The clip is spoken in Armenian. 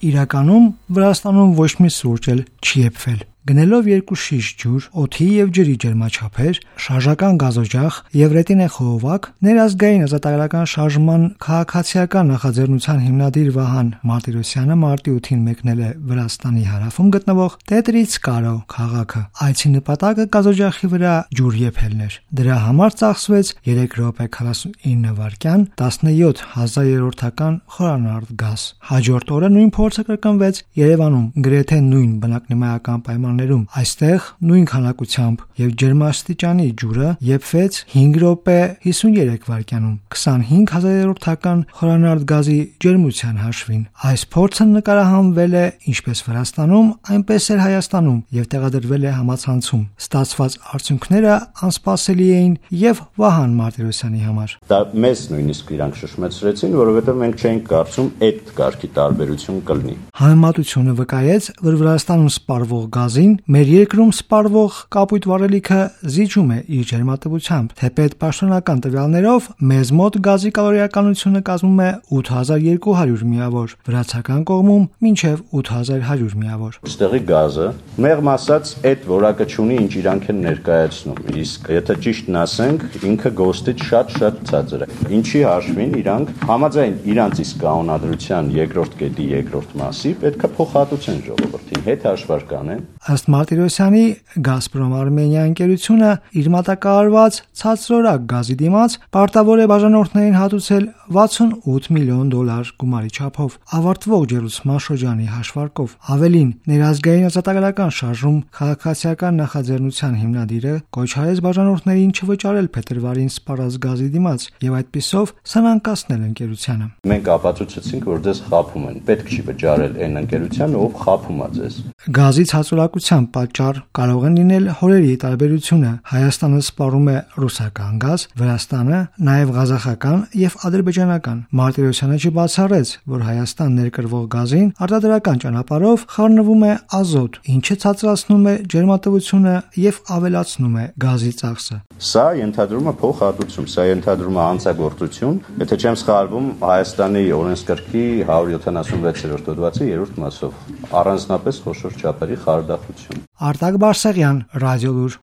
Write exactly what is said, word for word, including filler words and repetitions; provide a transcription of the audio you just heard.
Իրականում Վրաստանում ոչ մի սուրճ էլ չի եփվել։ Գնելով երկու շիշ ջուր, օդի եւ ջրի ջերմաչափեր, շարժական գազօջախ եւ ռետինե խողովակ, ներազգային ազատագրական շարժման քաղաքացիական նախաձեռնության հիմնադիր Վահան Մարտիրոսյանը մարտի ութին մեկնել է Վրաստանի հարավում գտնվող Տետրիցկարո քաղաքը։ Այցի նպատակը գազօջախի վրա ջուր եփելն էր։ Դրա համար ծախսվեց երեք րոպե քառասունինը վայրկյան, տասնյոթ հազարերորդական խորանարդ գազ։ Հաջորդ օրը նույն փորձը կրկնվեց Երևանում, գրեթե նույն բնակնիմայական պայմաններում։ Այստեղ նույն քանակությամբ եւ ջերմաստիճանի ջուրը եփվեց հինգ րոպե հիսուներեք վայրկյանում, քսանհինգ հազարերորդական խորանարդ գազի ջերմության հաշվին։ Այս փորձը նկարահանվել է ինչպես Վրաստանում, այնպես էլ Հայաստանում եւ տեղադրվել է համացանցում։ Ստացված արդյունքները անսպասելի էին եւ Վահան Մարտիրոսյանի համար։ Դա մեզ նույնիսկ իրանք շշմեցրեցին, որովհետեւ մենք չէինք կարծում այդ կարգի տարբերություն կլինի։ Համեմատությունը վկայեց, որ Վրաստանում սպառվող գազին մեր երկրում սպառվող կապույտ վառելիքը զիջում է իր ջերմատվությամբ։ Թեպետ պաշտոնական տվյալներով մեզ մոտ գազի կալորիականությունը կազմում է ութ հազար երկու հարյուր միավոր, վրացական կողմում մինչև ութ հազար հարյուր միավոր։ Այստեղի գազը մեղմ ասած այդ որակը չունի, ինչ իրանք են ներկայացնում։ Իսկ եթե ճիշտն ասենք, ինքը գոստից շատ-շատ ցածր է։ Ինչի հաշվին իրանք համաձայն իրանց իսկ կանոնադրության երկրորդ կետի երկրորդ մասի պետք է փոխհատուցեն ժողովրդին, հետ հաշվարկան են։ Ըստ Մարտիրոսյանի, Գազպրոմ Արմենիա ընկերությունը իր մատակարարված ցածրորակ գազի դիմաց պարտավոր է բաժանորդներին հատուցել վաթսունութ միլիոն դոլար գումարի չափով, ավարտվող ջերուցման շրջանի հաշվարկով։ Ավելին, ներազգային ազատագրական շարժում քաղաքացիական նախաձեռնության հիմնադիրը կոչ արեց բաժանորդներին չվճարել փետրվարին սպառած գազի դիմաց եւ այդպիսով սնանկացնել ընկերությանը։ Մենք ապացուցեցինք, որ ձեզ խաբում են, պետք չի վճարել այն ընկերությանը, ով խաբում է ձեզ։ Գազի ցածրակության պատճառ կարող են լինել հորերի տարբերությունը։ Հայաստանը սպառում է ռուսական գազ, Վրաստանը նաև ղազախական եւ ադրբեջանական։ Մարտիրոսյանը չբացառեց, որ Հայաստան ներկրվող գազին արտադրական ճանապարհով խառնվում է ազոտ, ինչը ցածրացնում է ջերմատվությունը եւ ավելացնում է գազի ծախսը։ Սա ենթադրում է փոխհատուցում, սա ենթադրում է հանցագործություն, եթե չեմ սխալվում, Հայաստանի օրենսգրքի հարյուր յոթանասունվեցերորդ հոդվածի երրորդ մասով, առանձնապես խոշոր չափերի խարդախություն։ Արտակ Բարսեղյան, Ռադիոլուր։